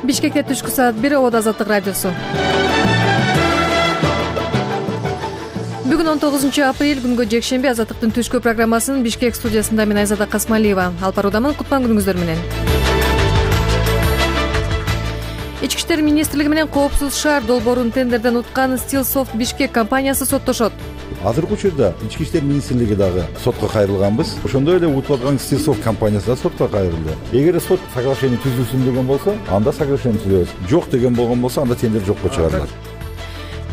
Бишкекте түшкү саат 1 Обод Азаттык радиосу. Бүгүн 19 апрель күнгө жекшемби Азаттыктын түшкү программасынын Бишкек студиясында мен Айзада Касмалиева. Алып баруудамын. Кутман күнүңүздөр менен. Ички иштер министрлиги менен Коопсуз шаар долбоорун тендерден уткан Стилсофт Бишкек компаниясы соттошот. Азыркы учурда Ички иштер министрлиги дагы сотко кайрылганбыз. Ошондой эле утуп аткан Стилсофт компаниясы да сотко кайрылды. Эгер сот соглашение түзүлсүн деген болсо, анда соглашение түзөбүз. Жок деген болгон болсо, анда тендер жокко чыгарылат.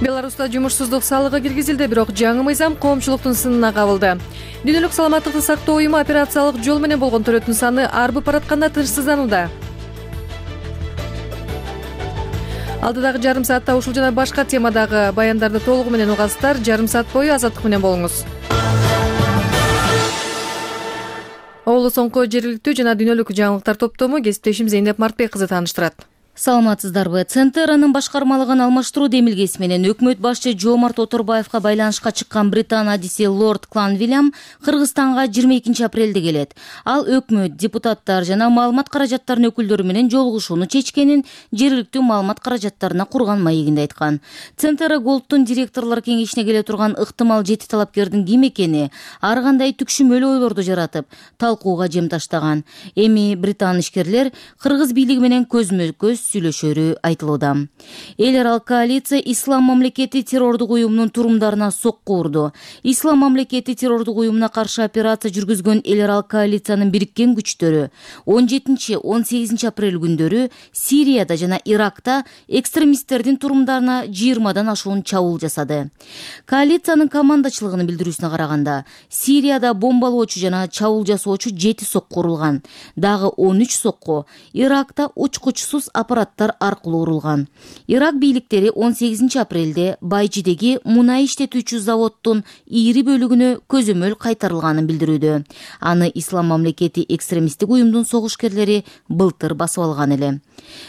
Беларуста жумушсуздук салыгы киргизилди, бирок жаңы мыйзам коомчулуктун сынына кабылды. Дүйнөлүк саламаттыкты сактоо уюму операциялык жол менен болгон төлөтүн саны арбып баратканда тынчсызданууда. Алдыдагы жарым саатта ушул жана башка темадагы баяндарды толугу менен угасыздар. Жарым саат бою Азаттык менен болуңуз. Облус соңку жергиликтүү жана дүйнөлүк жаңылыктар топтому кесиптешим Зейнеп Мартбек кызы тааныштырат. Саламатсыздарбы? Центеранын башкармалыгын алмаштыруу демилгеси менен өкмөт башчы Жомарт Оторбаевка байланышка чыккан Британ адиси Лорд Кланвиллям Кыргызстанга 22 апрелде келет. Ал өкмөт, депутаттар жана маалымат каражаттарынын өкүлдөрү менен жолугушууну чечкенин жергиликтүү маалымат каражаттарына курган маегинде айткан. Центера Голдтун директорлор кеңешине келе турган ыктымал жети талапкердин ким экени ар кандай түкшүмөлүү ойлорду жаратып, талкууга жем таштаган. Эми британ ишкерлер Кыргыз бийлиги менен көзмө-көз сүйлөшөрү айтылууда. Эл аралык коалиция Ислам мамлекети террордук уюмунун турумдарына сокку урду. Ислам мамлекети террордук уюмуна каршы операция жүргүзгөн эл аралык коалициянын бириккен күчтөрү 17-18 апрель күндөрү Сирияда жана Иракта экстремисттердин турумдарына 20дан ашуун чабуул жасады. Коалициянын командачылыгынын билдирүүсүнө караганда, Сирияда бомбалоочу жана чабуул жасоочу 7 сокку урулган. Дагы 13 сокку Иракта учкучсуз аппараттар аркылуу урулган. Ирак бийликтери 18 апрелде Байжидеги мунай иштетүүчү заводдун ийри бөлүгүнө көзөмөл кайтарылганын билдирүүдө. Аны Ислам мамлекети экстремисттик уюмдун согушкерлери былтыр басып алган эле.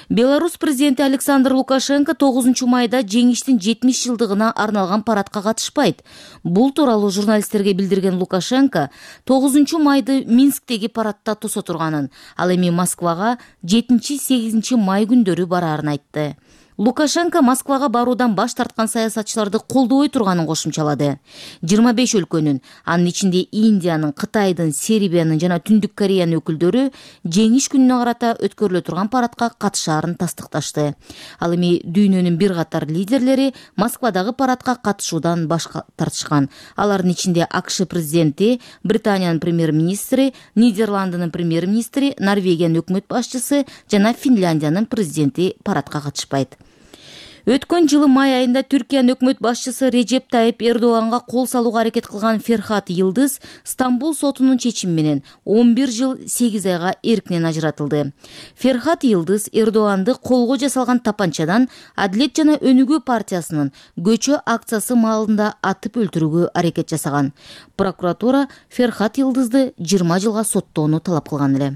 Беларусь президенти Александр Лукашенко 9 майда жеңиштин 70 жылдыгына арналган парадка катышпайт. Бул тууралуу журналисттерге билдирген Лукашенко 9 майды Минсктеги парадта тосо турганын, ал эми Москвага 7-8 май күндөрү бараарын айтты. Лукашенко Москвага баруудан баш тарткан саясатчыларды колдобой турганын кошумчалады. 25 өлкөнүн, анын ичинде Индиянын, Кытайдын, Сербиянын жана Түндүк Кореянын өкүлдөрү жеңиш күнүнө карата өткөрүлө турган парадка катышаарын тастыкташты. Ал эми дүйнөнүн бир катар лидерлери Москвадагы парадка катышуудан баш тартышкан. Алардын ичинде АКШ президенти, Британиянын премьер-министри, Нидерландынын премьер-министри, Норвегиянын өкмөт башчысы жана Финляндиянын президенти парадка катышпайт. Өткөн жылы май айында Түркиянын өкмөт башчысы Режеп Тайып Эрдоганга кол салууга аракет кылган Ферхат Йылдыз Стамбул сотунун чечими менен 11 жыл 8 айга эркинен ажыратылды. Ферхат Йылдыз Эрдоганды колго жасалган тапанчадан Адилет жана Өнүгүү партиясынын көчө акциясы маалында атып өлтүрүүгө аракет жасаган. Прокуратура Ферхат Йылдызды 20 жылга соттоону талап кылган эле.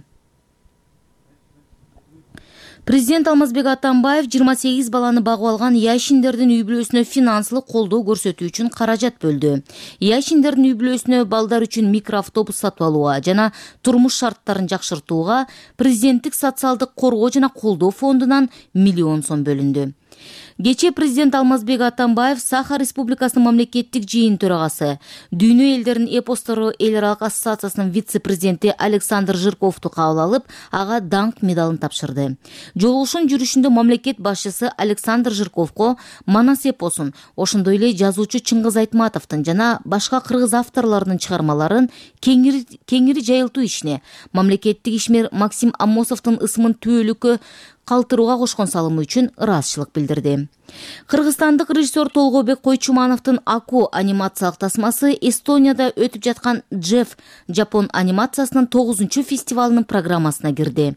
Президент Алмазбек Атамбаев 28 баланы багып алган яшиндердин үй бүлөсүнө финансылык колдоо көрсөтүү үчүн каражат бөлдү. Яшиндердин үй бүлөсүнө балдар үчүн микроавтобус сатып алууга жана турмуш шарттарын жакшыртууга президенттик социалдык коргоо жана колдоо фондунан миллион сом бөлүндү. Кечээ президент Алмазбек Атамбаев Саха Республикасынын мамлекеттик жыйын төрагасы, Дүйнө элдеринин эпостору эл аралык ассоциациясынын вице-президенти Александр Жирковду кабыл алып, ага даңк медалын тапшырды. Жолугушуунун жүрүшүндө мамлекет башчысы Александр Жирковго Манас эпосун, ошондой эле жазуучу Чыңгыз Айтматовдун жана башка кыргыз авторлорунун чыгармаларын кеңири жайылтуу ишине, мамлекеттик ишмер Максим Амосовдун ысымын түбөлүккө калтырууга кошкон салымы үчүн ыраазычылык билдирди. Кыргызстандык режиссер Толгобек Койчумановдун Аку анимациялык тасмасы Эстонияда өтүп жаткан Джефф Жапон анимациясынын 9-чу фестивалынын программасына кирди.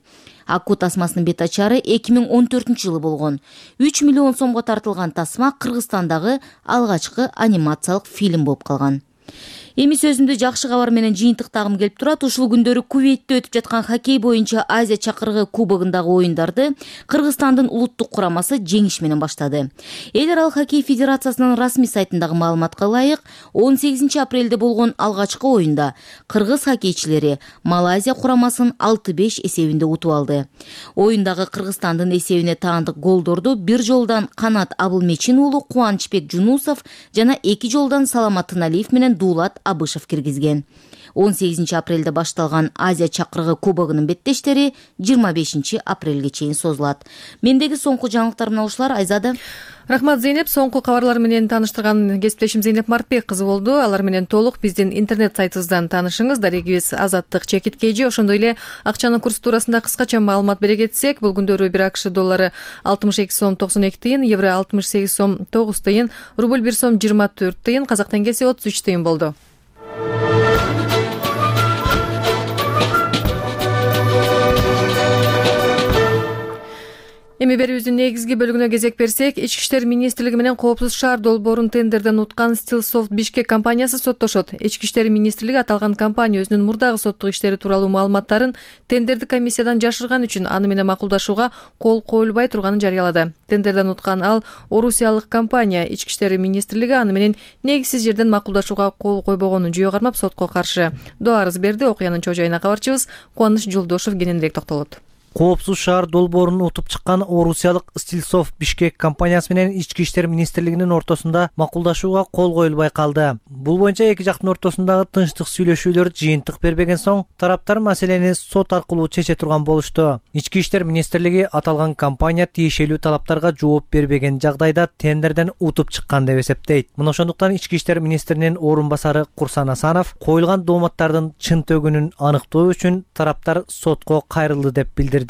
Аку тасмасынын бет ачары 2014 жылы болгон. 3 миллион сомго тартылган тасма Кыргызстандагы алгачкы анимациялык фильм болуп калган. Эми сөзүмдү жакшы кабар менен жыйынтыктагым келип турат. Ушул күндөрү Кувейтте өтүп жаткан хоккей боюнча Азия чакырыгы кубогундагы оюндарды Кыргызстандын улуттук курамасы жеңиш менен баштады. Эл аралык хоккей федерациясынын расмий сайтындагы маалыматка ылайык, 18 апрелде болгон алгачкы оюнда кыргыз хоккейчилери Малайзия курамасын 6-5 эсебинде утуп алды. Оюндагы Кыргызстандын эсебине таандык голдорду бир жолдан Канат Абылмечин уулу Кубанычбек Жунусов жана 2 жолдан Саламат Тыналиев менен Дулат Абышев киргизген. 18 апрелде башталган Азия чакырыгы кубогунун беттештери 25 апрелге чейин созулат. Мендеги соңку жаңылыктар мына ушулар. Айзада. Рахмат Зейнеп. Соңку кабарлар менен тааныштырган кесиптешим Зейнеп Мартбек кызы болду. Алар менен толук биздин интернет сайтыбыздан таанышыңыз. Дарегибиз Азаттык ЧК. Ошондой эле акчанын курсу туурасында кыскача маалымат бере кетсек, бул күндөрү 1 АКШ доллары 62 сом 92 тыйын, евро 68 сом 9 тыйын, рубль 1 сом 24 тыйын, казак теңгеси 33 тыйын болду. Эми берүүбүздүн негизги бөлүгүнө кезек берсек, Ички иштер министрлиги менен Коопсуз шаар долбоорун тендерден уткан Stillsoft Бишкек компаниясы соттошот. Ички иштер министрлиги аталган компания өзүнүн мурдагы соттук иштери тууралуу маалыматтарын тендердик комиссиядан жашырган үчүн аны менен макулдашууга кол коюлбай турганын жарыялады. Тендерден уткан ал орусиялык компания. Ички иштер министрлиги аны менен негизсиз жерден макулдашууга кол койбогонун жүйө кармап сотко каршы доо арыз берди. Окуянын чоо жайына кабарчыбыз Кубаныч Жолдошов кененирээк токтолот. Коопсуз шаар долбоорун утуп чыккан орусиялык Stillsoft Бишкек компаниясы менен Ички иштер министрлигинин ортосунда макулдашууга кол коюлбай калды. Бул боюнча эки жактын ортосундагы тынчтык сүйлөшүүлөр жыйынтык бербеген соң тараптар маселени сот аркылуу чече турган болушту. Ички иштер министрлиги аталган компания тиешелүү талаптарга жооп бербеген жагдайда тендерден утуп чыккан деп эсептейт. Мына ошондуктан Ички иштер министринин орун басары Курсан Асанов коюлган дооматтардын чын төгүнүн аныктоо үчүн тараптар сотко кайрылды деп билдирди.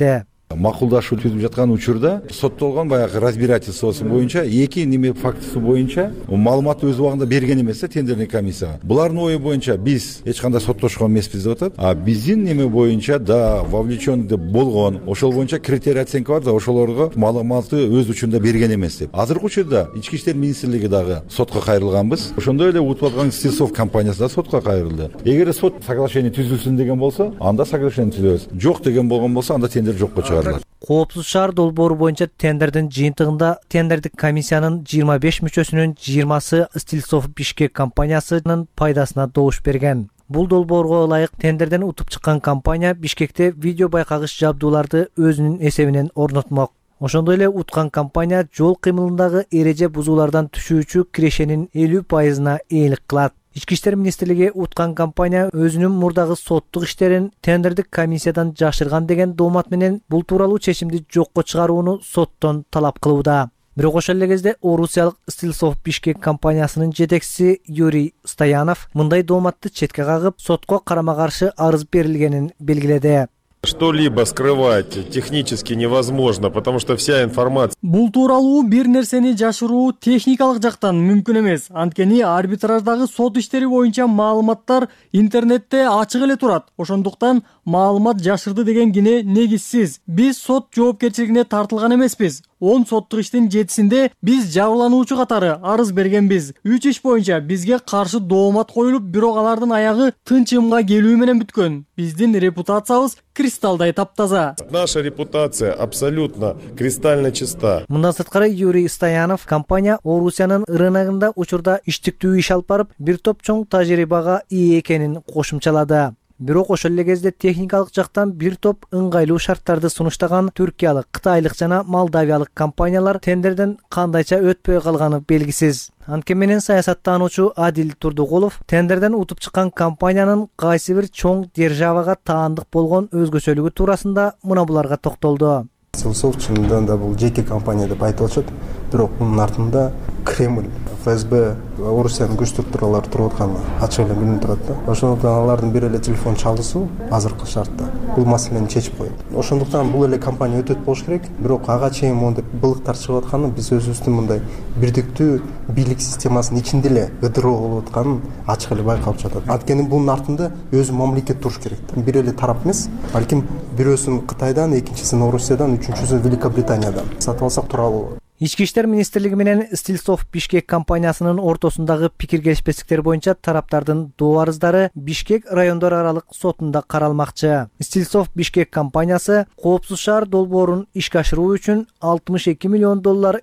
Макулдашуу түзүп жаткан учурда соттолгон баягы разбирательствосу боюнча эки неме фактысы боюнча маалыматты өз убагында берген эмес тендерный комиссияга. Булардын ою боюнча биз эч кандай соттошкон эмеспиз деп атат. А биздин неме боюнча да вовлечен деп болгон, ошол боюнча критерий оценка бар да, ошолорго маалыматты өз учурунда берген эмес деп. Азыркы учурда Ички иштер министрлиги дагы сотко кайрылганбыз. Ошондой эле утуп аткан Stillsoft компаниясы да сотко кайрылды. Эгер сот соглашение түзүлсүн деген болсо, анда соглашение түзөбүз. Жок деген болгон болсо, анда тендер жокко чыгат. Коопсуз шаар долбоору боюнча тендердин жыйынтыгында тендердик комиссиянын 25 мүчөсүнүн 20сы Stillsoft Бишкек компаниясынын пайдасына добуш берген. Бул долбоорго ылайык тендерден утуп чыккан компания Бишкекте видео байкагыч жабдууларды өзүнүн эсебинен орнотмок. Ошондой эле уткан компания жол кыймылындагы эреже бузуулардан түшүүчү кирешенин 50%-на ээлик кылат. Ички иштер министрлиги уткан компания өзүнүн мурдагы соттук иштерин тендердик комиссиядан жашырган деген доомат менен бул тууралуу чечимди жокко чыгарууну соттон талап кылууда. Бирок ошол эле кезде орусиялык Stillsoft Бишкек компаниясынын жетекчиси Юрий Стоянов мындай дооматты четке кагып, сотко карама-каршы арыз берилгенин белгиледи. Что-либо скрывать технически невозможно, потому что вся информация. Бул тууралуу бир нерсени жашыруу техникалык жактан мүмкүн эмес. Анткени арбитраждагы сот иштери боюнча маалыматтар интернетте ачык эле турат. Ошондуктан маалымат жашырды деген кине негизсиз. Биз сот жоопкерчилигине тартылган эмеспиз. 10 соттук иштин 7-синде биз жабырлануучу катары арыз бергенбиз. 3 иш боюнча бизге каршы доомат коюлуп, бирок алардын аягы тынчымга келүү менен бүткөн. Биздин репутациябыз кристалдай таптаза. Наша репутация абсолютно кристально чиста. Мындан сырткары Юрий Стоянов компания Орусиянын рыногунда учурда иштиктүү иш алып барып, бир топ чоң тажрыйбага ээ экенин кошумчалады. Бирок ошол эле кезде техникалык жактан бир топ ыңгайлуу шарттарды сунуштаган түркиялык, кытайлык жана молдавиялык компаниялар тендерден кандайча өтпөй калганы белгисиз. Анткени менен саясаттануучу Адил Турдугулов тендерден утуп чыккан компаниянын кайсы бир чоң державага таандык болгон өзгөчөлүгү туурасында мына буларга токтолду. Stillsoft чынында да бул жеке компания деп айтылышат. Бирок мунун артында Кремль, ФСБ, Орусиянын күч структуралары туруп атканы ачык эле билинип турат да. Ошондуктан алардын бир эле телефон чалуусу азыркы шартта бул маселени чечип коет. Ошондуктан бул эле компания өтөт болуш керек. Бирок ага чейин мондой былыктар чыгып атканы биз өзүбүздүн мындай бирдиктүү бийлик системасынын ичинде эле ыдыроо болуп атканын ачык эле байкалып жатат. Анткени бунун артында өзү мамлекет туруш керек. Бир эле тарап эмес, балким бирөөсүн Кытайдан, экинчисин Орусиядан, үчүнчүсүн Великобританиядан сатып алсак тууралуу. Ички иштер министрлиги менен Стилсофт Бишкек компаниясынын ортосундагы пикир келишпестиктер боюнча тараптардын доо арыздары Бишкек райондор аралык сотунда каралмакчы. Стилсофт Бишкек компаниясы коопсуз шаар долбоорун ишке ашыруу үчүн $62 миллион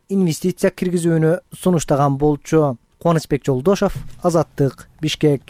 инвестиция киргизүүнү сунуштаган болчу. Кубанычбек Жолдошов, Азаттык, Бишкек.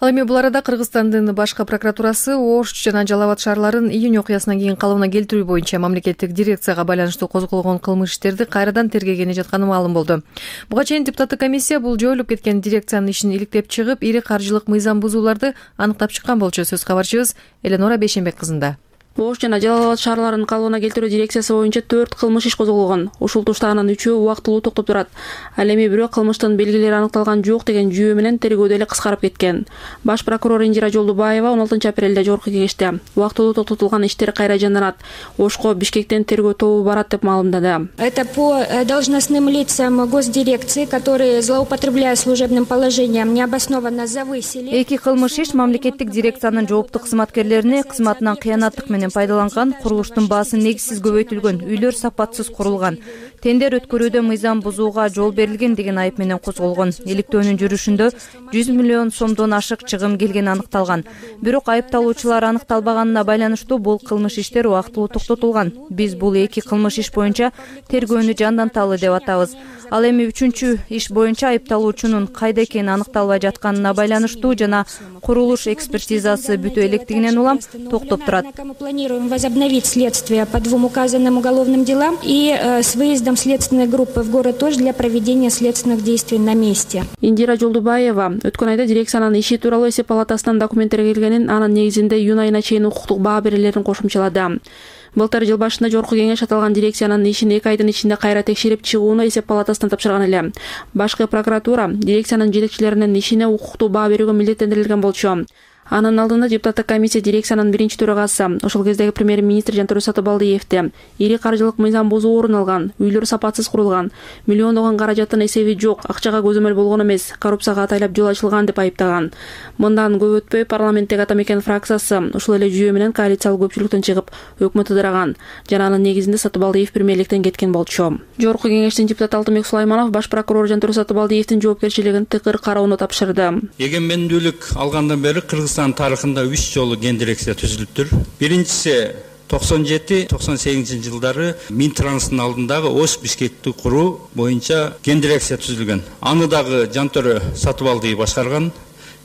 Ал эми бул арада Кыргызстандын башкы прокуратурасы Ош жана Жалал Абад шаарларын июнь окуясынан кийин калыбына келтирүү боюнча мамлекеттик дирекцияга байланыштуу козголгон кылмыш иштерди кайрадан тергегени жатканы маалым болду. Буга чейин депутаттык комиссия бул жоюлуп кеткен дирекциянын ишин иликтеп чыгып, ири каржылык мыйзам бузууларды аныктап чыккан болчу. Сөз кабарчыбыз Эленора Бейшенбек кызында. Ош жана Жалал Абад шаарларын калыбына келтирүү дирекциясы боюнча 4 кылмыш иш козголгон. Ушул туштагынан 3-өө убактылуу токтоп турат. Ал эми бирок кылмыштын белгилери аныкталган жок деген жүйө менен тергөө деле кыскарып кеткен. Баш прокурор Индира Жолдубаева 16 апрелде жогорку кеңеште убактылуу токтотулган иштер кайра жанданат. Ошко Бишкектен тергөө тобу барат деп маалымдады. Это по должностным лицам госдирекции, которые, злоупотребляя служебным положением, необоснованно завысили. Эки кылмыш иш мамлекеттик дирекциянын жооптуу кызматкерлерине кызматынан кыянаттык менен пайдаланган, курулуштун баасы негизсиз көбөйтүлгөн, үйлөр сапатсыз курулган, тендер өткөрүүдө мыйзам бузууга жол берилген деген айып менен козголгон. Иликтөөнүн жүрүшүндө 100 миллион сомдон ашык чыгым келгени аныкталган. Бирок айыпталуучулар аныкталбаганына байланыштуу бул кылмыш иштер убактылуу токтотулган. Биз бул эки кылмыш иш боюнча тергөөнү жанданталы деп атабыз. Ал эми 3-чү иш боюнча айыпталуучунун кайда экени аныкталбай жатканына байланыштуу жана курулуш экспертизасы бүтө электигинен улам токтоп турат. Мы планируем возобновить следствие по 2 указанным уголовным делам и с выездом следственной группы в город Ош для проведения следственных действий на месте. Индира Жолдубаева өткөн айда дирекциянын иши тууралуу эсеп палатасынан документтер келгенин, анын негизинде июнь айына чейин укуктук баа берилерин кошумчалады. Былтыр жыл башында жогорку кеңеш аталган дирекциянын ишин 2 айдын ичинде кайра текшерип чыгууну эсеп палатасынан тапшырган эле. Башкы прокуратура дирекциянын жетекчилеринин ишине укуктуу баа берүүгө милдеттендирилген болчу. Анын алдында депутаттык комиссия дирекциянын биринчи төрагасы, ошол кездеги премьер-министр Жантөре Сатыбалдиевди ири каржылык мыйзам бузуу орун алган, үйлөр сапатсыз курулган, миллиондогон каражаттын эсеби жок, акчага көзөмөл болгон эмес, коррупцияга атайлап жол ачылган деп айыптаган. Мындан көп өтпөй парламенттеги Ата Мекен фракциясы ушул эле жүйө менен коалициялык көпчүлүктөн чыгып, өкмөт ыдыраган. Жана анын негизинде Сатыбалдиев премьерликтен кеткен болчу. Жогорку кеңештин депутаты Алтынбек Сулайманов баш прокурор Жантөре Сатыбалдиевдин жоопкерчилигин тыкыр кароону тапшырды. Эгемендүүлүк алгандан бери Кыргызстан тарыхында 3 жолу ген дирекция түзүлүптүр. Биринчиси 97-98 жылдары Минтранстын алдындагы Ош Бишкекти куруу боюнча ген дирекция түзүлгөн. Аны дагы Жантөре Сатыбалдиев башкарган.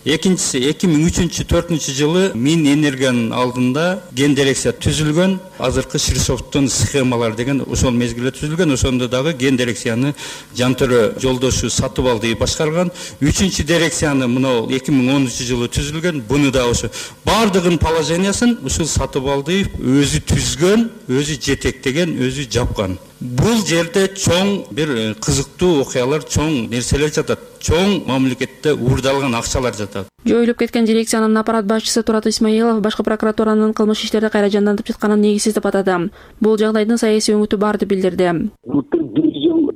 Экинчиси 2003-2004 жылы Минэнергиянын алдында ген дирекция түзүлгөн. Азыркы Ширсофттун схемалар деген ошол мезгилде түзүлгөн. Ошондо дагы ген дирекцияны Жантөре Жолдошу Сатыбалдиев башкарган. 3-чү дирекцияны мына 2010 жылы түзүлгөн. Буну да ошо бардыгын положениясын ушул Сатыбалдиев өзү түзгөн, өзү жетектеген, өзү жапкан. Бул жерде чоң бир кызыктуу окуялар, чоң нерселер жатат. Чоң мамлекетте уурдалган акчалар жатат. Жоюлуп кеткен дирекциянын аппарат башчысы Турат Исмаилов башкы прокуратуранын кылмыш иштерди кайра жандантып жатканын негизсиз деп атады. Бул жагдайдын саясий өңүтү бар деп билдирди.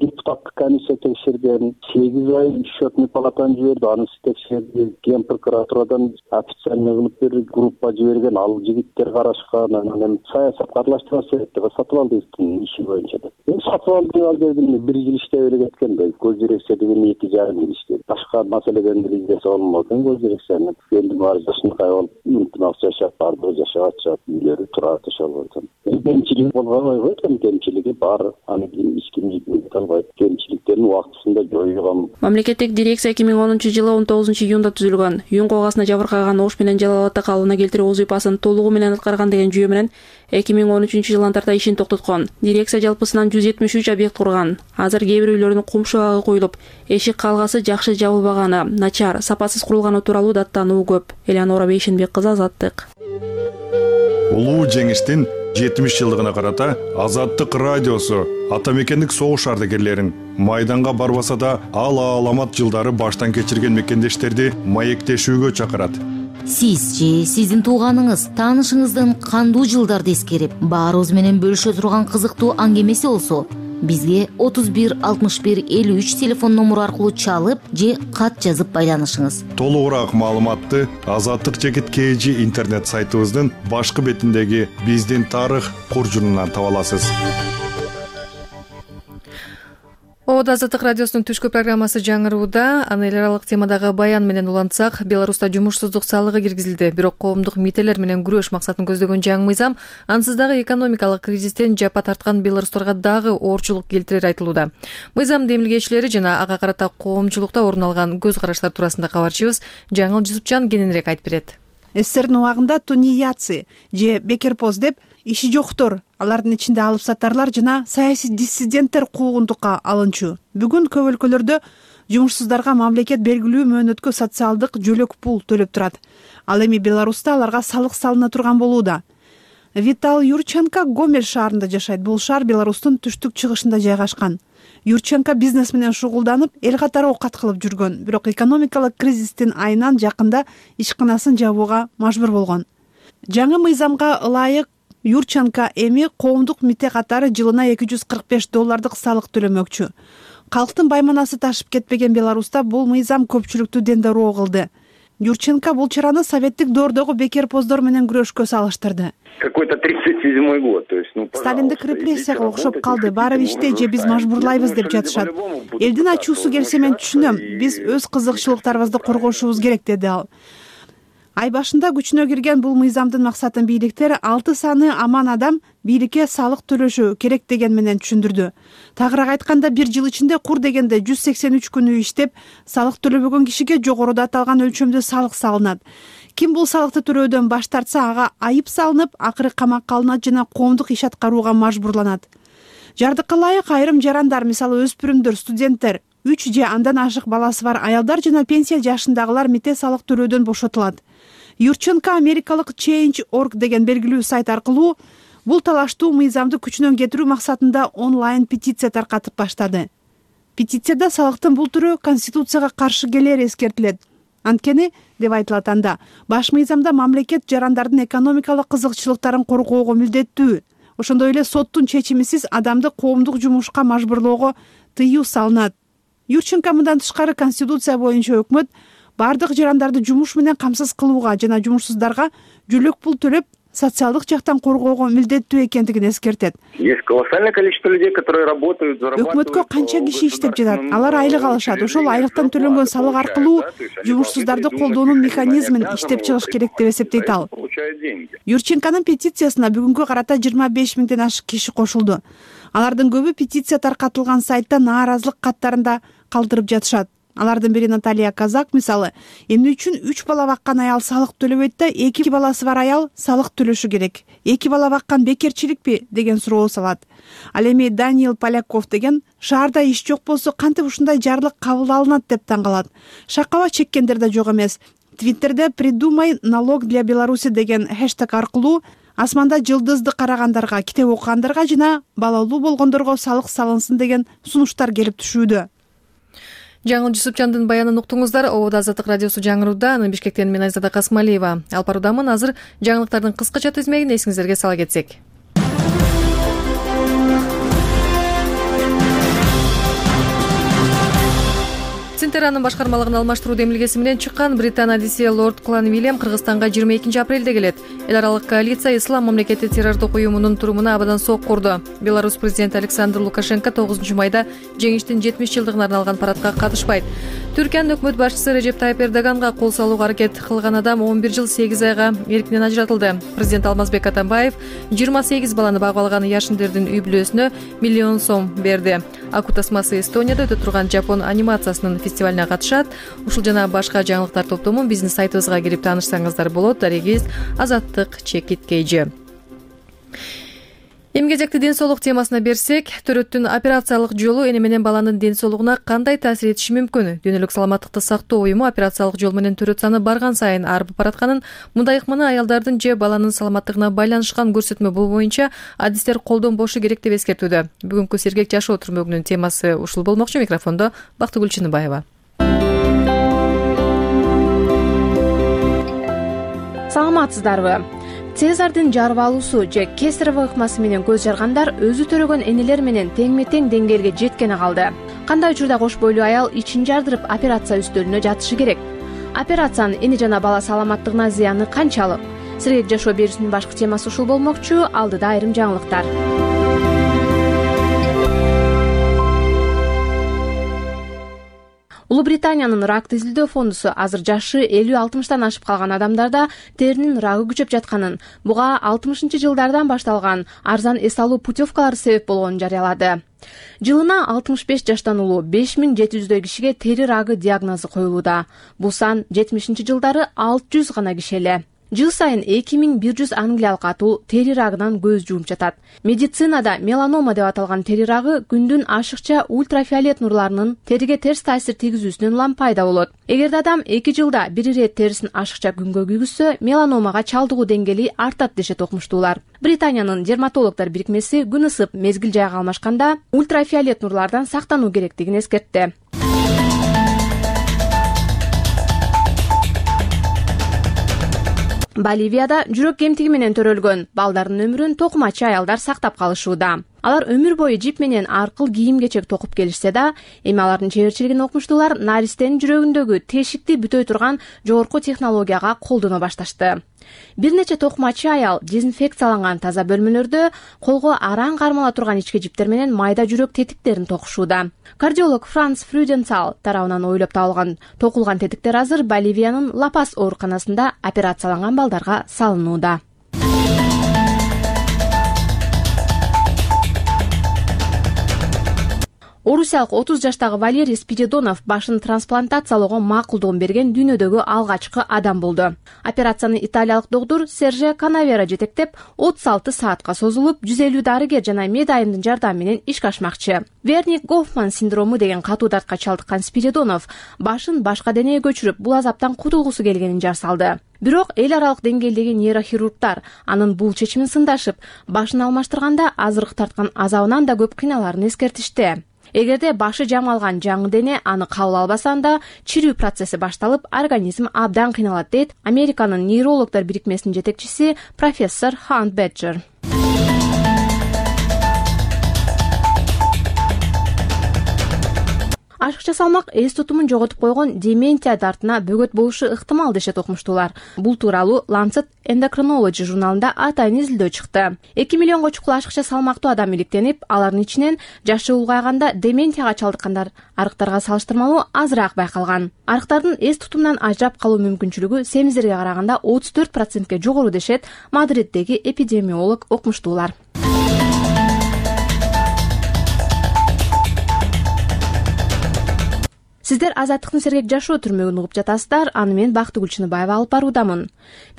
Депутаттык комиссия текшерген, 8 ай счетный палатаны жиберди, аны текшерди, ген прокуратурадан официальный кылып берди, группа жиберген, ал жигиттер карашкан, анан саясатка аралаштырасы деп Сатыбалдиевдин иши боюнча. Сатыбалдиев ал жерде 1 жыл иштеп эле кеткен да, көз дирекция деген 2,5 жыл иштеди. Башка маселеден билгенсе болмогон көз дирекцияны. Энд баары жашынкай болуп, ынтымак жашап, бардыгы жашап атышат, үйлөрү турат ошол болсун. Кемчилик болгон койгон, кемчилиги бар, аны ким албайт. Кемчиликтерин убактысында жоюлган. Мамлекеттик дирекция 2010 жылы 19 июнда түзүлгөн. Үйүн коогаасына жабыркаган Ош менен Жалал Абадта калыбына келтирүү вазыйфасын толугу менен аткарган деген жүйө менен 2013 жылдан тарта ишин токтоткон. Дирекция жалпысынан 173 объект курган. Азыр кээ бир үйлөрдүн кум шабагы коюлуп, эшик калгасы жакшы жабылбаганы, начар, сапасыз курулганы тууралуу даттануу көп. Эленора Бейшенбек кызы, Азаттык. Улуу жеңиштин 70 жылдыгына карата Азаттык радиосу Ата Мекендик согуш ардагерлерин майданга барбаса да ал аламат жылдары баштан кечирген мекендештерди маектешүүгө чакырат. Сиз же сиздин тууганыңыз, таанышыңыздын кандуу жылдарды эскерип, баарыбыз менен бөлүшө турган кызыктуу аңгемеси болсо, бизге 31 61 53 телефон номуру аркылуу чалып же кат жазып байланышыңыз. Толугураак маалыматты Азаттык _KG интернет сайтыбыздын башкы бетиндеги биздин тарых куржунунан таба аласыз. Ободо Азаттык радиосунун түшкү программасы жаңырууда. Аны эл аралык темадагы баян менен улантсак, Беларуста жумушсуздук салыгы киргизилди. Бирок коомдук мителер менен күрөш максатын көздөгөн жаңы мыйзам ансыз дагы экономикалык кризистен жапа тарткан беларустарга дагы оорчулук келтирери айтылууда. Мыйзамдын эмилгечилери жана ага карата коомчулукта орун алган көз караштар туурасында кабарчыбыз Жаңыл Жусупчан кененирээк айтып берет. СССРдин убагында тунеядцы же бекерпоз деп иши жоктор, алардын ичинде алып сатарлар жана саясий диссиденттер куугунтукка алынчу. Бүгүн көп өлкөлөрдө жумушсуздарга мамлекет белгилүү мөөнөткө социалдык жөлөк пул төлөп турат. Ал эми Беларуста аларга салык салына турган болууда. Витал Юрченко Гомель шаарында жашайт. Бул шаар Беларустун түштүк-чыгышында жайгашкан. Юрченко бизнес менен шугулданып, эл катары оокат кылып жүргөн. Бирок экономикалык кризистин айынан жакында ишканасын жабууга мажбур болгон. Жаңы мыйзамга ылайык Юрченко эми коомдук мите катары жылына $245 салык төлөмөкчү. Калктын байманасы ташып кетпеген Беларуста бул мыйзам көпчүлүктү дендероо кылды. Юрченко бул чараны советтик доордогу бекерпоздор менен күрөшкө салыштырды. Какой-то 37-й год, то есть, Сталиндик репрессияга окшоп калды. Баары иште же биз мажбурлайбыз деп жатышат. Элдин ачуусу келсе мен түшүнөм. Биз өз кызыкчылыктарыбызды коргошубуз керек, деди ал. Ай башында күчүнө кирген бул мыйзамдын максатын бийликтер 6 саны аман адам бийликке салык төлөшү керек деген менен түшүндүрдү. Тагыраак айтканда, бир жыл ичинде кур дегенде 183 күнү иштеп, салык төлөбөгөн кишиге жогоруда аталган өлчөмдө салык салынат. Ким бул салыкты төлөөдөн баш тартса, ага айып салынып, акыры камакка алынат жана коомдук иш аткарууга мажбурланат. Жардыкка ылайык айрым жарандар, мисалы өспүрүмдөр, студенттер, 3 же андан ашык баласы бар аялдар жана пенсия жашындагылар мите салык төлөөдөн бошотулат. Юрченко америкалык Change.org деген белгилүү сайт аркылуу бул талаштуу мыйзамды күчүнөн кетирүү максатында онлайн петиция таркатып баштады. Петицияда салыктын бул түрү конституцияга каршы келери эскертилет. Анткени, деп айтылат анда, баш мыйзамда мамлекет жарандардын экономикалык кызыкчылыктарын коргоого милдеттүү. Ошондой эле соттун чечимисиз адамды коомдук жумушка мажбурлоого тыюу салынат. Юрченко мындан тышкары конституция боюнча өкмөт бардык жарандарды жумуш менен камсыз кылууга жана жумушсуздарга жөлөк пул төлөп социалдык жактан коргоого милдеттүү экендигин эскертет. Есть колоссальное количество людей, которые работают, зарабатывают. Өкмөткө канча киши иштеп жатат, алар айлык алышат. Ошол айлыктан төлөнгөн салык аркылуу жумушсуздарды колдоонун механизмин иштеп чыгыш керек деп эсептейт ал. Юрченконун петициясына бүгүнкү карата 25 миңден ашык киши кошулду. Алардын көбү петиция таркатылган сайтта нааразылык каттарында калтырып жатышат. Алардын бири Наталья Казак, мисалы, эмне үчүн 3 бала баккан аял салык төлөбөйт да 2 баласы бар аял салык төлөшү керек? 2 бала баккан бекерчиликпи деген суроо салат. Ал эми Даниил Поляков деген шаарда иш жок болсо кантип ушундай жарлык кабыл алынат деп таң калат. Шакаба чеккендер да жок эмес. Твиттерде «Придумай налог для Беларуси» деген хэштег аркылуу асманда жылдызды карагандарга, китеп окугандарга жана балалуу болгондорго салык салынсын деген сунуштар келип түшүүдө. Жаңыл Жусупчандын баянын уктуңуздар. Ободо Азаттык радиосу жаңырууда. Аны Бишкектен мен Айзада Касмалиева алып баруудамын. Азыр жаңылыктардын кыскача тизмегин эсиңиздерге сала кетсек. Центеранын башкармалыгын алмаштыруу демилгеси менен чыккан Британ Одиссея Лорд Кланвильям Кыргызстанга 22 апрелде келет. Эл аралык коалиция Ислам мамлекети террордук уюмунун турумуна абадан сок курду. Беларусь президенти Александр Лукашенко 9 майда жеңиштин 70 жылдыгына арналган парадка катышпайт. Түркиянын өкмөт башчысы Режеп Тайып Эрдоганга кол салууга аракет кылган адам 11 жыл 8 айга эркинен ажыратылды. Президент Алмазбек Атамбаев 28 баланы багып алган Яшиндердин үй бүлөсүнө $1 миллион берди. Аку тасмасы Эстонияда өтө турган Жапон анимациясынын фестивалине катышат. Ушул жана башка жаңылыктар топтомун биздин сайтыбызга кирип таанышсаңыздар болот. Дарегиз Азаттык чекиткейжи. Эмгезекти ден соолук темасына берсек, төрөттүн операциялык жолу эне менен баланын ден соолугуна кандай таасир этиши мүмкүн? Дүйнөлүк саламаттыкты сактоо уюму операциялык жол менен төрөт саны барган сайын арып баратканын, мындай ыкманы аялдардын же баланын саламаттыгына байланышкан көрсөтмө боюнча адистер колдонбошу керек деп эскертүүдө. Бүгүнкү сергек жашоо түрмөгүнүн темасы ушул болмокчу. Микрофондо Бактыгүл Чыныбаева. Саламатсыздарбы? Цезардын жарып алуусу же кесарево ыкмасы менен көз жаргандар өзү төрөгөн энелер менен теңме-тең деңгээлге жеткени калды. Кандай учурда кош бойлуу аял ичин жардырып операция үстөлүнө жатышы керек? Операциянын эне жана бала саламаттыгына зыяны канчалык? Сергек жашоо берүүсүнүн башкы темасы ушул болмокчу. Алдыда айрым жаңылыктар. Улуу Британиянын ракты изилдөө фондусу азыр жашы 50-60 ашып калган адамдарда теринин рагы күчөп жатканын, буга 60-жылдардан башталган арзан эс алуу путевкалары себеп болгонун жарыялады. Жылына 65 жаштан улуу 5700 кишиге тери рагы диагнозу коюлууда. Бул сан 70-жылдары 600 гана киши эле. Жыл сайын 2100 англиялык атуу тери рагынан көз жумуп жатат. Медицинада меланома деп аталган тери рагы күндүн ашыкча ультрафиолет нурларынын териге терс таасир тийгизүүсүнөн улам пайда болот. Эгерде адам 2 жылда бир ирет терисин ашыкча күнгө күйгүзсө, меланомага чалдыгуу деңгээли артат дешет окумуштуулар. Британиянын дерматологдор бирикмеси күн ысып, мезгил жайга алмашканда ультрафиолет нурлардан сактануу керектигин эскертти. Боливияда жүрөк кемтиги менен төрөлгөн балдардын өмүрүн токумачы аялдар сактап калышууда. Алар өмүр бою жип менен аркыл кийим-кечек токуп келишсе да, эми алардын чеберчилигин окумуштуулар наристенин жүрөгүндөгү тешикти бүтөй турган жогорку технологияга колдоно башташты. Бир нече токумачы аял дезинфекцияланган таза бөлмөлөрдө колго араң кармала турган ички жиптер менен майда жүрөк тетиктерин токушууда. Кардиолог Франц Фрюденцал тарабынан ойлоп табылган токулган тетиктер азыр Боливиянын Ла-Пас ооруканасында операцияланган балдарга салынууда. Орусиялык 30 жаштагы Валерий Спиридонов башын трансплантациялоого макулдугун берген дүйнөдөгү алгачкы адам болду. Операцияны италиялык доктур Серже Канавера жетектеп, 36 саатка созулуп, 150 дарыгер жана медайымдын жардамы менен ишке ашмакчы. Верник-Гофман синдрому деген катуу дартка чалдыккан Спиридонов башын башка денеге көчүрүп, бул азаптан кутулгусу келгенин жар салды. Бирок эл аралык деңгээлдеги нейрохирургдар анын бул чечимин сындашып, башын алмаштырганда азыркы тарткан азабынан да көп кыйналарын эскертишти. Эгерде башы жамалган жаңы дене аны кабыл албаса, анда чирүү процесси башталып, организм абдан кыйналат, дейт Американын нейрологдор бирикмесинин жетекчиси профессор Хант Беджер. Ашыкча салмак эс тутумун жоготуп койгон дементия дартына бөгөт болушу ыктымал дешет окумуштуулар. Бул тууралуу Lancet Endocrinology журналында атайын изилдөө чыкты. 2 миллионго чукул ашыкча салмактуу адам иликтенип, алардын ичинен жашы улгайганда дементияга чалдыккандар арыктарга салыштырмалуу азыраак байкалган. Арыктардын эс тутумунан ажырап калуу мүмкүнчүлүгү семиздерге караганда 34%ке жогору дешет Мадриддеги эпидемиолог окумуштуулар. Сиздер Азаттыктын сергек жашоо түрмөгүн угуп жатасыздар. Аны мен Бактыгүл Чыныбаева алып баруудамын.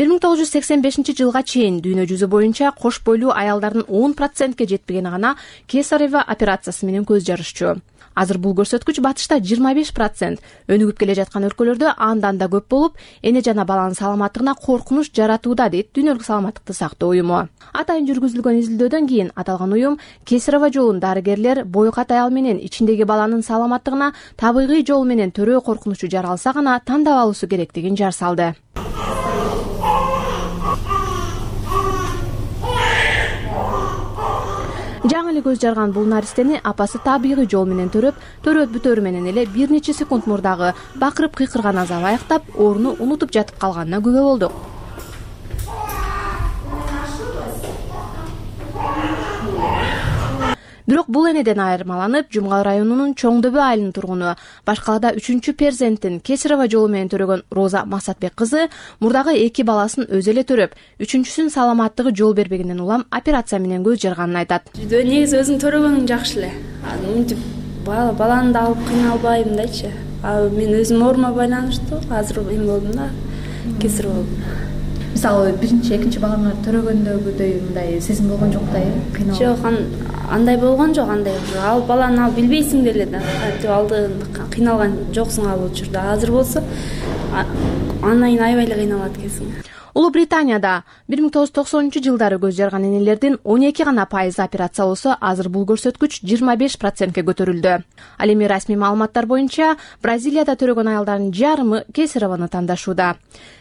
1985-жылга чейин дүйнө жүзү боюнча кош бойлуу аялдардын 10%ке жетпегени гана кесарева операциясы менен көз жарышчу. Азыр бул көрсөткүч батышта 25%, өнүгүп келе жаткан өлкөлөрдө андан да көп болуп, эне жана баланын саламаттыгына коркунуч жаратууда, дейт Дүйнөлүк саламаттыкты сактоо уюму. Атайын жүргүзүлгөн изилдөөдөн кийин аталган уюм кесарева жолун дарыгерлер боюкат аял менен ичиндеги баланын саламаттыгына табигый жол менен төрөө коркунучу жаралса гана тандап алуусу керектигин жар салды. Жаңы эле көз жарган бул наристени апасы табигый жол менен төрөт бүтөрү менен эле бир нече секунд мурдагы бакырып кыйкырган азабы аяктап, орну унутуп жатып калганына күбө болдук. Бирок бул энеден айырмаланып, Жумгал районунун Чоң Дөбө айылынын тургуну, Башкалада 3-чү перзентин кесарева жолу менен төрөгөн Роза Масатбек кызы мурдагы 2 баласын өзү эле төрөп, 3-чүсүн саламаттыгы жол бербегенден улам операция менен көз жарганын айтат. Негизи өзүң төрөгөнүң жакшы эле. Мынтип баланы да алып кыйналбайм дачы. Мен өзүм оорума байланыштуу, азыр эме болдум да, кесир болдум. Мисалы, биринчи, экинчи балаңа төрөгөндөгүдөй мындай сезим болгон жок да, кыйналып? Жок, андай болгон жок, андай алып баланы алып билбейсиң деле да. Кантип алдыгында кыйналган жоксуң ал учурда. Азыр болсо андан кийин аябай эле кыйналат экенсиң. Улуу Британияда 1990-жылдары көз жарган энелердин 12 гана пайызы операция болсо, азыр бул көрсөткүч 25%ке көтөрүлдү. Ал эми расмий маалыматтар боюнча Бразилияда төрөгөн аялдардын жарымы кесареваны тандашууда.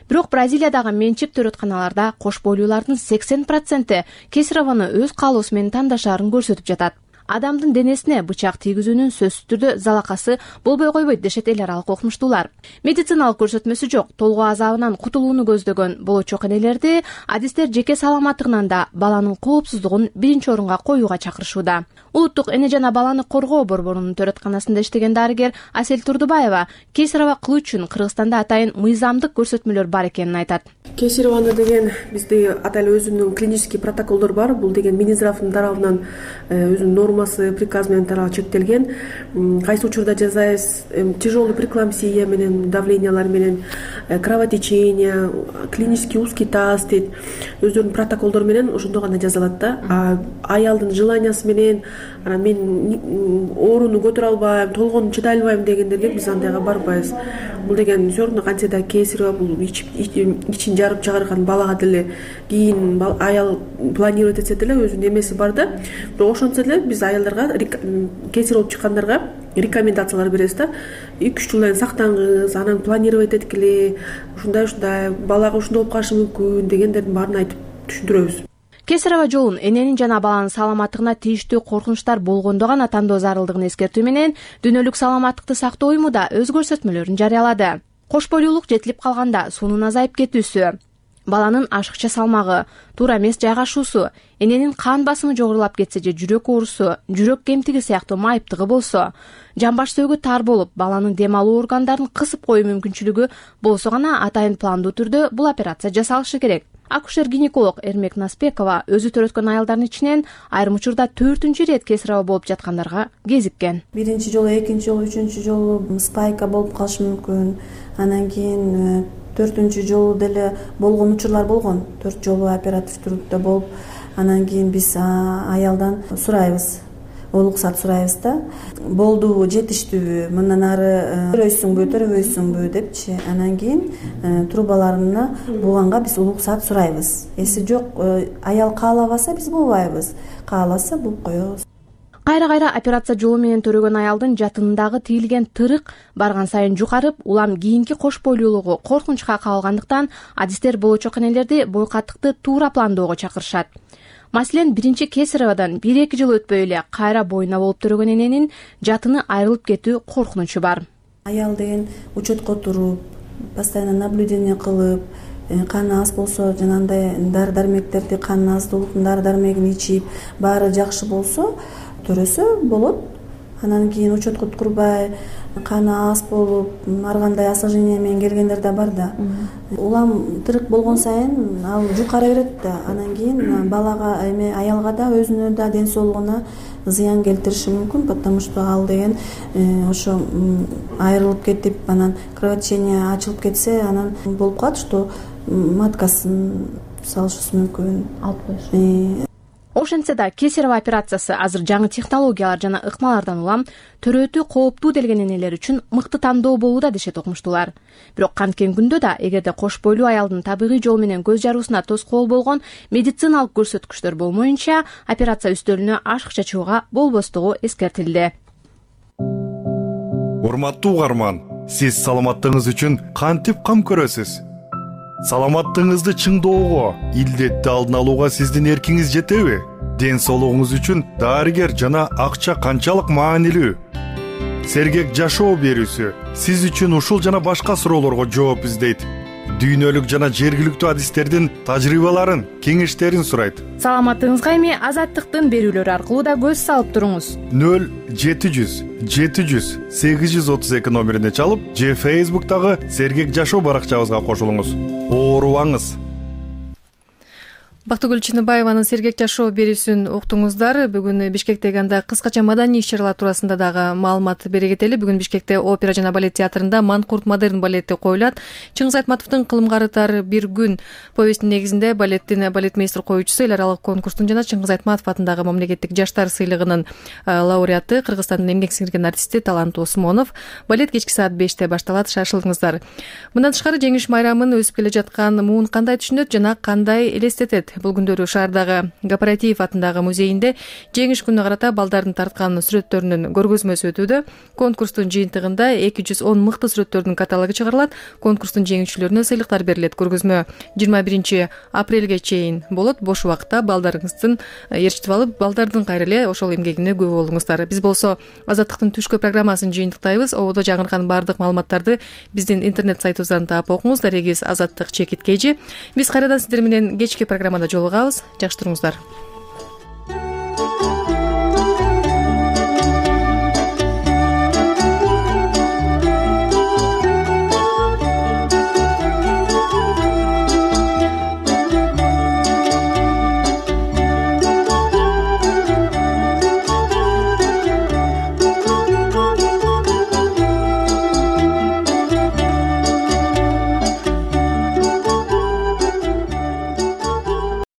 Бирок Бразилиядагы менчик төрөтканаларда кош бойлуулардын 80% кесареваны өз каалоосу менен тандашаарын көрсөтүп жатат. адамдын денесине бычак тийгизүүнүн сөзсүз түрдө залакасы болбой койбойт дешет эл аралык окумуштуулар. Медициналык көрсөтмөсү жок толгоо азабынан кутулууну көздөгөн болочок энелерди адистер жеке саламаттыгынан да баланын коопсуздугун биринчи орунга коюуга чакырышууда. Улуттук эне жана баланы коргоо борборунун төрөтканасында иштеген дарыгер Асель Турдубаева кесарево кылуу үчүн Кыргызстанда атайын мыйзамдык көрсөтмөлөр бар экенин айтат. Кесареваны деген бизде атайын өзүнүн клинический протоколдор бар. Бул деген Минздравдын тарабынан өзүнүн нормасы, приказ менен чектелген. Кайсы учурда жасайбыз? Тяжелый преэклампсия менен, давлениялар менен, кровотечение, клинический узкий таз дейт. Өздөрүнүн протоколдору менен ошондо гана жазылат да. Аялдын желаниясы менен мен ооруну көтөрө албайм, толгону чыдай албайм дегендерге биз андайга барбайбыз. Бул деген все равно кантсе да кесарево бул ичин жарып чыгарган балага деле кийин аял планирует этсе деле өзүнүн эмеси бар да. Бирок ошентсе деле биз аялдарга кесарево болуп чыккандарга рекомендациялар беребиз да. 2-3 жылдан сактаңыз, анан планировать эткиле, ушундай балага ушундай болуп калышы мүмкүн дегендердин баарын айтып түшүндүрөбүз. Кесарево жолун эненин жана баланын саламаттыгына тийиштүү коркунучтар болгондо гана тандоо зарылдыгын эскертүү менен дүйнөлүк саламаттыкты сактоо уюму да өз көрсөтмөлөрүн жарыялады. Кош бойлуулук жетилип калганда суунун азайып кетүүсү, баланын ашыкча салмагы, туура эмес жайгашуусу, эненин кан басымы жогорулап кетсе же жүрөк оорусу, жүрөк кемтиги сыяктуу майыптыгы болсо, жамбаш сөөгү тар болуп, баланын дем алуу органдарын кысып коюу мүмкүнчүлүгү болсо гана атайын пландуу түрдө бул операция жасалышы керек. Акушер-гинеколог Эрмек Наспекова өзү төрөткөн аялдардын ичинен айрым учурда 4-үнчү ирет кесарево болуп жаткандарга кезиккен. Биринчи жолу, экинчи жолу, үчүнчү жолу спайка болуп калышы мүмкүн. Анан кийин 4-үнчү жолу деле болгон учурлар болгон. 4 жолу оператив түрдө болуп, анан кийин биз аялдан сурайбыз. Уруксат сурайбыз да. Болдубу, жетиштүүбү, мындан ары төрөйсүңбү, төрөбөйсүңбү депчи. Анан кийин трубаларына булганга биз уруксат сурайбыз. Эси жок, аял каалабаса биз булбайбыз. Кааласа булуп коебуз. Кайра-кайра операция жолу менен төрөгөн аялдын жатынындагы тийилген тырык барган сайын жукарып, улам кийинки кош бойлуулугу коркунучка кабылгандыктан адистер болочок энелерди бойкаттыкты туура пландоого чакырышат. Маселен, биринчи кесареводон 1-2 жыл өтпөй эле кайра боюна болуп төрөгөн эненин жатыны айрылып кетүү коркунучу бар. Аял деген учетко туруп, постоянно наблюдение кылып, каны аз болсо, жанагындай дары-дармектерди, канын аздуулуктун дары-дармегин ичип, баары жакшы болсо, төрөсө болот. Анан кийин учетко турбай, каны аз болуп, ар кандай осложнение менен келгендер да бар да. Улам тырык болгон сайын ал жукара берет да. Анан кийин балага, аялга да, өзүнө да, ден соолугуна зыян келтириши мүмкүн, потому что ал деген ошо айрылып кетип, анан кровотечение ачылып кетсе, анан болуп калат, что маткасын салышыбыз мүмкүн. Алып коюш. Ошентсе да кесарево операциясы азыр жаңы технологиялар жана ыкмалардан улам төрөтүү кооптуу делген энелер үчүн мыкты тандоо болууда дешет окумуштуулар. Бирок канткен күндө да эгерде кош бойлуу аялдын табигый жол менен көз жаруусуна тоскоол болгон медициналык көрсөткүчтөр болмоюнча операция үстөлүнө ашыкча чыгууга болбостугу эскертилди. Урматтуу угарман, сиз саламаттыгыңыз үчүн кантип кам көрөсүз? Саламаттыгыңызды чыңдоого, илдетти алдын алууга сиздин эркиңиз жетеби? Ден соолугуңуз үчүн дарыгер жана акча канчалык маанилүү? Сергек жашоо берүүсү сиз үчүн ушул жана башка суроолорго жооп издейт. Дүйнөлүк жана жергиликтүү адистердин тажрыйбаларын, кеңештерин сурайт. Саламаттыгыңызга эми Азаттыктын берүүлөрү аркылуу да көз салып туруңуз. 0700 700 832 номерине чалып, же Facebook'тагы Сергек жашоо баракчабызга кошулуңуз. Оорубаңыз. Бактыгүл Чыныбаеванын Сергек жашоо берүүсүн уктуңуздар. Бүгүн Бишкектеги анда кыскача маданий иш-чаралар туурасында дагы маалымат бере кетели. Бүгүн Бишкекте опера жана балет театрында Манкурт модерн балети коюлат. Чыңгыз Айтматовдун Кылымгарытар бир күн повестинин негизинде балеттин балетмейстер коюучусу эл аралык конкурстун жана Чыңгыз Айтматов атындагы мамлекеттик жаштар сыйлыгынын лауреаты, Кыргызстандын эмгек сиңирген артисти Талант Осмонов. Балет кечки саат 5-те башталат, шашылыңыздар. Мындан тышкары жеңиш майрамын өсүп келе жаткан муун кандай түшүнөт жана кандай элестетет? Бул күндөрү шаардагы Кооператив атындагы музейинде жеңиш күнүнө карата балдардын тарткан сүрөттөрүнүн көргөзмөсү өтүүдө. Конкурстун жыйынтыгында 210 мыкты сүрөттөрдүн каталогу чыгарылат. Конкурстун жеңүүчүлөрүнө сыйлыктар берилет. Көргөзмө 21 апрелге чейин болот. Бош убакытта балдарыңыздын ээрчитип алып, балдардын кайра эле ошол эмгегине күбө болуңуздар. Биз болсо Азаттыктын түшкү программасын жыйынтыктайбыз. Ободо жаңыркан баардык маалыматтарды биздин интернет сайтыбыздан таап окуңуз. Дарегиз Азаттык _KG. Биз кайрадан сиздер менен кечки программада жолугабыз. Жакшы туруңуздар.